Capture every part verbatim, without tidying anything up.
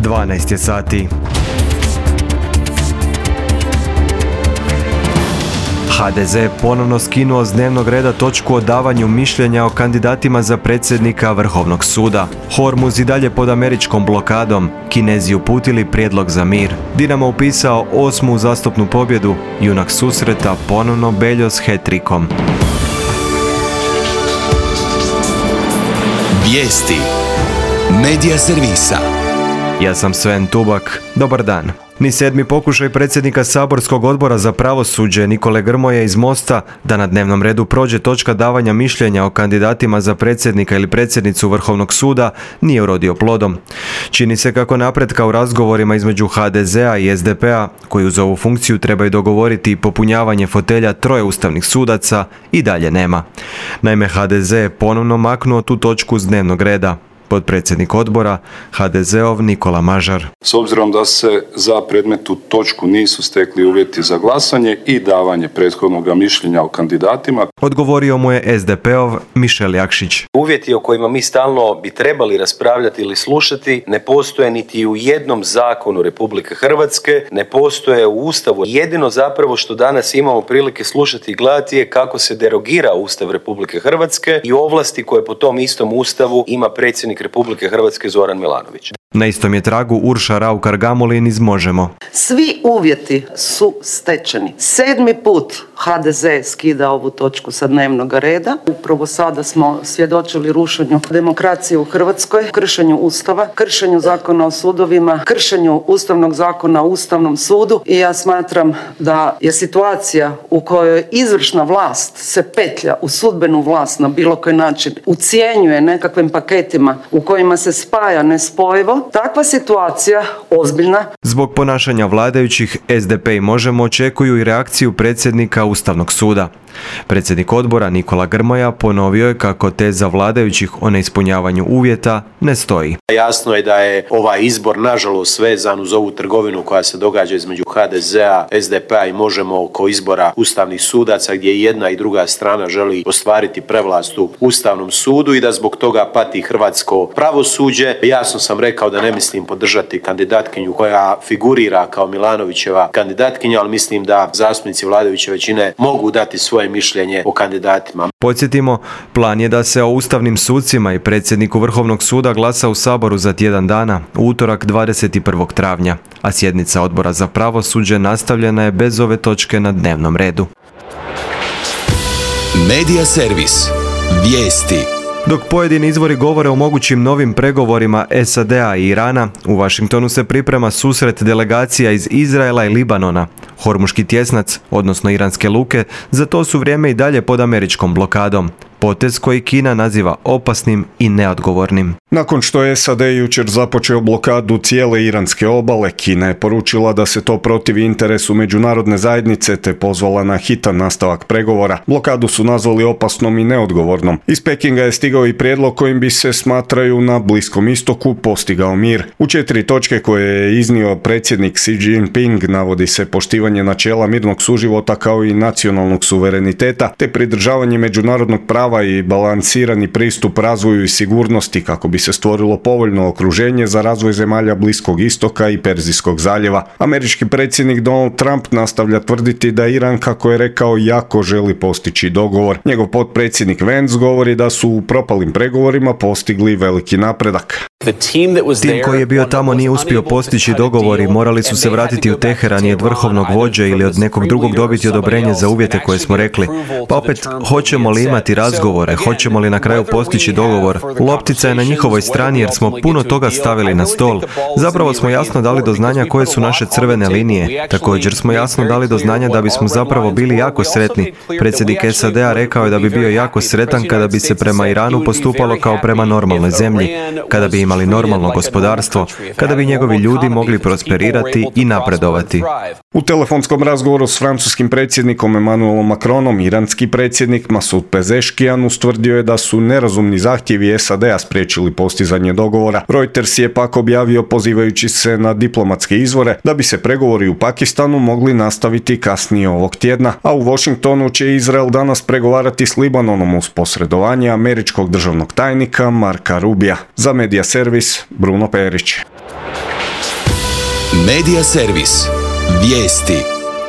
dvanaest je sati. ha de ze ponovno skinuo s dnevnog reda točku o davanju mišljenja o kandidatima za predsjednika Vrhovnog suda. Hormuz i dalje pod američkom blokadom. Kinezi uputili prijedlog za mir. Dinamo upisao osmu uzastopnu pobjedu. Junak susreta ponovno Beljo s hat-trickom. Vijesti Medija servisa. Ja sam Sven Tubak. Dobar dan. Ni sedmi pokušaj predsjednika saborskog odbora za pravosuđe Nikole Grmoje iz Mosta da na dnevnom redu prođe točka davanja mišljenja o kandidatima za predsjednika ili predsjednicu Vrhovnog suda nije urodio plodom. Čini se kako napretka u razgovorima između ha de zea i es de pea, koji uz ovu funkciju trebaju dogovoriti popunjavanje fotelja troje ustavnih sudaca, i dalje nema. Naime, ha de ze je ponovno maknuo tu točku s dnevnog reda. Potpredsjednik odbora, ha de zeov Nikola Mažar. S obzirom da se za predmetnu točku nisu stekli uvjeti za glasanje i davanje prethodnog mišljenja o kandidatima, odgovorio mu je es de peov Mišel Jakšić. Uvjeti o kojima mi stalno bi trebali raspravljati ili slušati ne postoje niti u jednom zakonu Republike Hrvatske, ne postoje u Ustavu. Jedino zapravo što danas imamo prilike slušati i gledati je kako se derogira Ustav Republike Hrvatske i ovlasti koje po tom istom Ustavu ima predsjednik Republike Hrvatske Zoran Milanović. Na istom je tragu Urša Raukar-Gamulin iz Možemo. Svi uvjeti su stečeni. Sedmi put ha de ze skida ovu točku sa dnevnog reda. Upravo sada smo svjedočili rušenju demokracije u Hrvatskoj, kršenju Ustava, kršenju zakona o sudovima, kršenju Ustavnog zakona o Ustavnom sudu, i ja smatram da je situacija u kojoj izvršna vlast se petlja u sudbenu vlast na bilo koji način, ucjenjuje nekakvim paketima u kojima se spaja nespojivo, takva situacija ozbiljna. Zbog ponašanja vladajućih, es de pe i Možemo očekuju i reakciju predsjednika Ustavnog suda. Predsjednik odbora Nikola Grmoja ponovio je kako teza vladajućih o neispunjavanju uvjeta ne stoji. Jasno je da je ovaj izbor nažalost vezan uz ovu trgovinu koja se događa između ha de zea, es de pea i Možemo oko izbora ustavnih sudaca, gdje jedna i druga strana želi ostvariti prevlast u Ustavnom sudu i da zbog toga pati hrvatsko pravosuđe. Jasno sam rekao da ne mislim podržati kandidatkinju koja figurira kao Milanovićeva kandidatkinja, ali mislim da zastupnici vladajuće većine mogu dati svoje mišljenje o kandidatima. Podsjetimo, plan je da se o ustavnim sucima i predsjedniku Vrhovnog suda glasa u Saboru za tjedan dana, u utorak dvadeset prvog travnja, a sjednica odbora za pravosuđe nastavljena je bez ove točke na dnevnom redu. Medija servis. Vijesti. Dok pojedini izvori govore o mogućim novim pregovorima es a de a i Irana, u Washingtonu se priprema susret delegacija iz Izraela i Libanona. Hormuški tjesnac, odnosno iranske luke, za to su vrijeme i dalje pod američkom blokadom. Potez koji Kina naziva opasnim i neodgovornim. Nakon što je es a de jučer započeo blokadu cijele iranske obale, Kina je poručila da se to protivi interesu međunarodne zajednice te pozvala na hitan nastavak pregovora. Blokadu su nazvali opasnom i neodgovornom. Iz Pekinga je stigao i prijedlog kojim bi se, smatraju, na Bliskom istoku postigao mir. U četiri točke koje je iznio predsjednik Xi Jinping navodi se poštivanje načela mirnog suživota kao i nacionalnog suvereniteta, te pridržavanje međunarodnog prava i balansirani pristup razvoju i sigurnosti kako bi se stvorilo povoljno okruženje za razvoj zemalja Bliskog istoka i Perzijskog zaljeva. Američki predsjednik Donald Trump nastavlja tvrditi da Iran, kako je rekao, jako želi postići dogovor. Njegov potpredsjednik Vance govori da su u propalim pregovorima postigli veliki napredak. Tim koji je bio tamo nije uspio postići dogovor i morali su se vratiti u Teheran i od vrhovnog vođe ili od nekog drugog dobiti odobrenje za uvjete koje smo rekli. Pa opet, hoćemo li imati razgovore, hoćemo li na kraju postići dogovor? Loptica je na njihovoj strani jer smo puno toga stavili na stol. Zapravo smo jasno dali do znanja koje su naše crvene linije. Također smo jasno dali do znanja da bismo zapravo bili jako sretni. Predsjednik es a de a rekao je da bi bio jako sretan kada bi se prema Iranu postupalo kao prema normalnoj zemlji, kada bi imali normalno gospodarstvo, kada bi njegovi ljudi mogli prosperirati i napredovati. U telefonskom razgovoru s francuskim predsjednikom Emmanuelom Macronom, iranski predsjednik Masoud Pezeshkian ustvrdio je da su nerazumni zahtjevi es a de a spriječili postizanje dogovora. Reuters je pak objavio, pozivajući se na diplomatske izvore, da bi se pregovori u Pakistanu mogli nastaviti kasnije ovog tjedna, a u Washingtonu će Izrael danas pregovarati s Libanonom uz posredovanje američkog državnog tajnika Marka Rubija. Za Medija servis, Bruno Perić. Medija servis. Vijesti.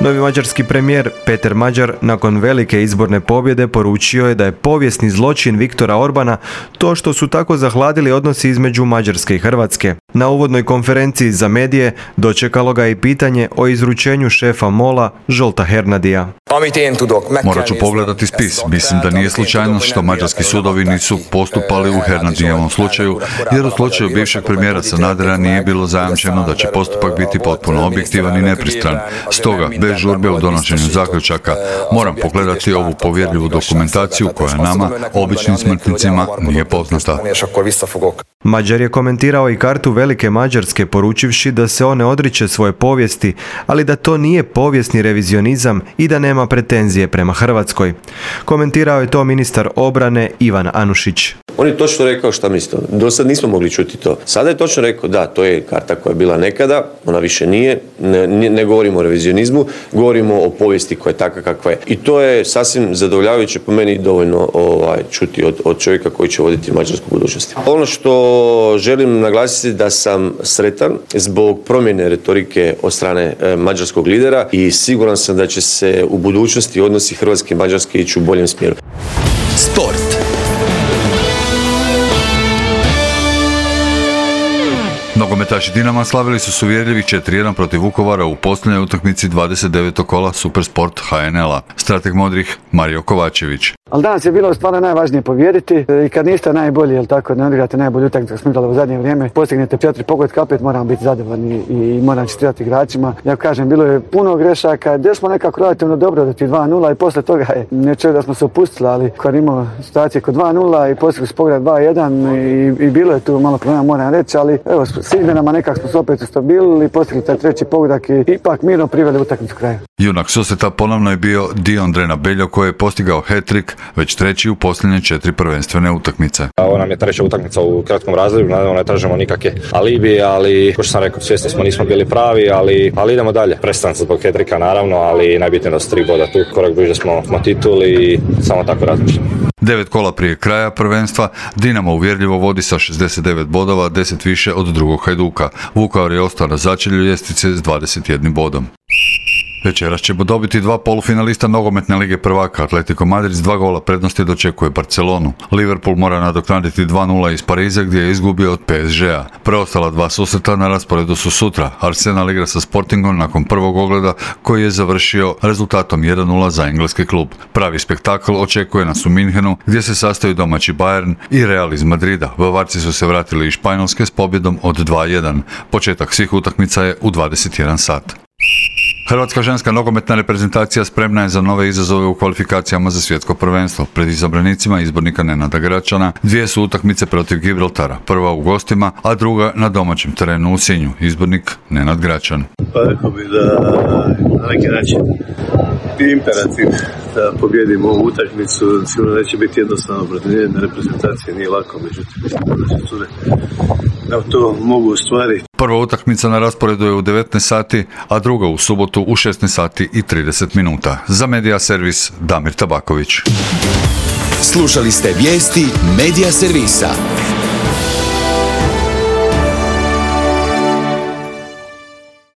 Novi mađarski premijer Peter Mađar nakon velike izborne pobjede poručio je da je povijesni zločin Viktora Orbana to što su tako zahladili odnosi između Mađarske i Hrvatske. Na uvodnoj konferenciji za medije dočekalo ga i pitanje o izručenju šefa MOL-a Zsolta Hernadija. Morat ću pogledati spis. Mislim da nije slučajno što mađarski sudovi nisu postupali u Hernadijevom slučaju, jer u slučaju bivšeg premijera Sanadera nije bilo zajamčeno da će postupak biti potpuno objektivan i nepristran. Stoga, bez žurbe u donošenju zaključaka, moram pogledati ovu povjerljivu dokumentaciju koja nama, običnim smrtnicima, nije poznata. Mađar je komentirao i kartu Velike Mađarske poručivši da se on ne odriče svoje povijesti, ali da to nije povijesni revizionizam i da nema pretenzije prema Hrvatskoj. Komentirao je to ministar obrane Ivan Anušić. On je točno rekao šta misli. Do sad nismo mogli čuti to. Sada je točno rekao da, to je karta koja je bila nekada, ona više nije, ne, ne govorimo o revizionizmu, govorimo o povijesti koja je takva kakva je. I to je sasvim zadovoljavajuće po meni dovoljno ovaj, čuti od, od čovjeka koji će voditi Mađarsku budućnosti. Ono što želim naglasiti da sam sretan zbog promjene retorike od strane e, mađarskog lidera i siguran sam da će se u budućnosti odnosi Hrvatske i Mađarske ići u boljem smjeru. Sport. Nogometaši Dinama slavili su s uvjerljivih četiri jedan protiv Vukovara u posljednjoj utakmici dvadeset devetog kola Supersport H N L-a. Strateg modrih Mario Kovačević. Ali danas je bilo stvarno najvažnije pobijediti i kad niste najbolji, jel tako, ne odigrate najbolju utakmicu smo igrali u zadnje vrijeme, postignete četiri pogotka, opet moramo biti zadovoljni i moram čestitati igračima. Ja kažem, bilo je puno grešaka, gdje smo nekako relativno dobro do ti dva nula i posle toga je neće da smo se opustili, ali kad imamo situacije kod dva nula i postigli smo pogled dva jedan i, i bilo je tu malo problema, moram reći, ali evo, s izmjenama nekako smo se opet ustabilili, postigli taj treći pogodak i ipak mirno priveli utakmicu kraju. Junak susreta ponovno je bio Dion Drenabeljo koji je postigao hat-trick, već treći u posljednje četiri prvenstvene utakmice. Ovo nam je treća utakmica u kratkom razdoblju, naravno ne tražimo nikakve alibi, ali kao što sam rekao, svjesni smo nismo bili pravi, ali, ali idemo dalje. Prestanak zbog hat-tricka naravno, ali najbitnije da su tri boda tu, korak bliže smo, smo tituli i samo tako razmišljamo. Devet kola prije kraja prvenstva, Dinamo uvjerljivo vodi sa šezdeset devet bodova, deset više od drugog Hajduka. Vukovar je ostao na začelju ljestvice s dvadeset jednim bodom. Večeras ćemo dobiti dva polufinalista nogometne lige prvaka. Atletico Madrid s dva gola prednosti dočekuje Barcelonu. Liverpool mora nadoknaditi dva nula iz Pariza gdje je izgubio od P S G-a. Preostala dva susreta na rasporedu su sutra. Arsenal igra sa Sportingom nakon prvog ogleda koji je završio rezultatom jedan nula za engleski klub. Pravi spektakl očekuje nas u Minhenu gdje se sastaju domaći Bayern i Real iz Madrida. Bavarci su se vratili iz Španjolske s pobjedom od dva jedan. Početak svih utakmica je u dvadeset jedan sat. Hrvatska ženska nogometna reprezentacija spremna je za nove izazove u kvalifikacijama za svjetsko prvenstvo. Pred izabranicima izbornika Nenada Gračana dvije su utakmice protiv Gibraltara, prva u gostima, a druga na domaćem terenu u Sinju. Izbornik Nenad Gračan. Pa rekao bi da na neki način bi imperativ da pobjedimo ovu utakmicu, sigurno neće biti jednostavno protiv nijedne reprezentacije, nije lako, međutim da će cure da to mogu ostvariti. Prva utakmica na rasporedu je u devetnaest sati, a druga u subotu u šesnaest sati i trideset minuta. Za Medija servis Damir Tabaković. Slušali ste vijesti Medija servisa.